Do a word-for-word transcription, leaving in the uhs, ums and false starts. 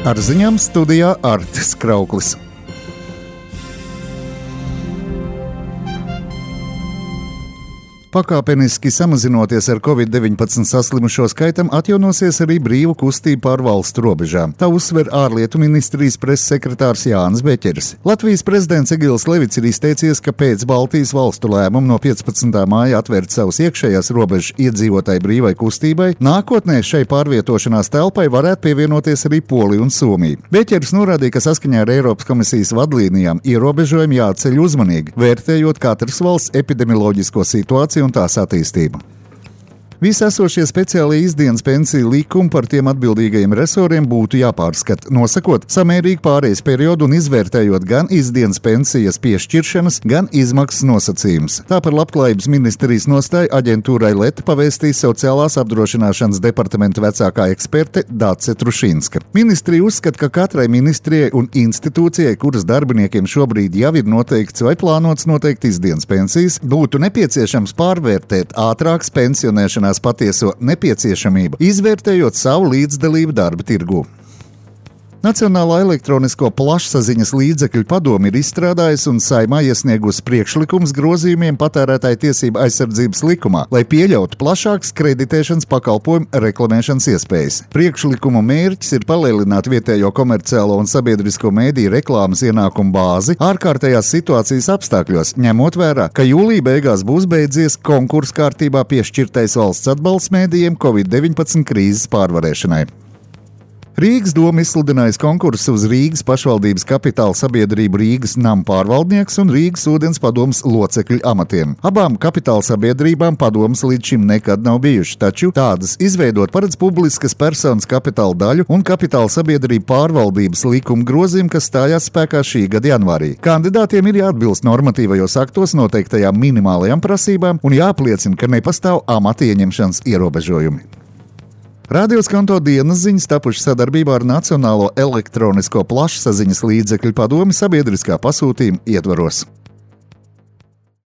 Ar ziņām studijā Artis Krauklis. Pakāpeniski samazinoties ar covid deviņpadsmit saslimušo skaitam, atjaunosies arī brīvu kustību pār valstu robežām. Tā uzsver ārlietu ministrijas preses sekretārs Jānis Beķeris. Latvijas prezidents Egils Levits ir izteicies, ka pēc Baltijas valstu lēmuma no piecpadsmitā māja atvērt savus iekšējās robežas iedzīvotāju brīvai kustībai, nākotnē šai pārvietošanās telpai varētu pievienoties arī Polija un Somija. Beķeris norādīja, ka saskaņā ar Eiropas komisijas vadlīnijām ierobežojumi jāceļ uzmanīgi, vērtējot katras valsts epidemioloģisko situāciju un tās attīstību. Visi esošie speciālie izdienas pensiju likumi par tiem atbildīgajiem resoriem būtu jāpārskata, nosakot samērīgu pārejas periodu un izvērtējot gan izdienas pensijas piešķiršanas, gan izmaksas nosacījumus. Tā par labklājības ministrijas nostāju aģentūrai Leta pavēstīs sociālās apdrošināšanas departamenta vecākā eksperte Dace Trušinska. Ministrija uzskata, ka katrai ministrijai un institūcijai, kuras darbiniekiem šobrīd jau ir noteikts vai plānots noteikt izdienas pensijas, būtu nepieciešams pārvērtēt ātrākas pensionēšanās patieso nepieciešamību, izvērtējot savu līdzdalību darba tirgū. Nacionālā elektronisko plašsaziņas līdzekļu padome ir izstrādājusi un Saeimā iesniegusi priekšlikums grozījumiem patērētāju tiesību aizsardzības likumā, lai pieļautu plašākas kreditēšanas pakalpojumu reklamēšanas iespējas. Priekšlikumu mērķis ir palielināt vietējo komerciālo un sabiedrisko mēdīju reklāmas ienākumu bāzi ārkārtējās situācijas apstākļos, ņemot vērā, ka jūlija beigās būs beidzies konkursu kārtībā piešķirtais valsts atbalsts mēdījiem covid deviņpadsmit krīzes pārvarēšanai. Rīgas doma izsludinājusi konkursu uz Rīgas pašvaldības kapitāla sabiedrību Rīgas namu pārvaldnieks un Rīgas ūdens padomes locekļu amatiem. Abām kapitāla sabiedrībām padomes līdz šim nekad nav bijuši, taču tādas izveidot paredz publiskas personas kapitāla daļu un kapitāla sabiedrību pārvaldības likuma grozījumu, kas stājās spēkā šī gada janvārī. Kandidātiem ir jāatbilst normatīvajos aktos noteiktajām minimālajām prasībām un jāapliecina, ka nepastāv amata ieņemšanas ierobežojumi. Radio Skanto dienas ziņas tapušas sadarbībā ar Nacionālo elektronisko plašsaziņas līdzekļu padomi sabiedriskā pasūtījuma ietvaros.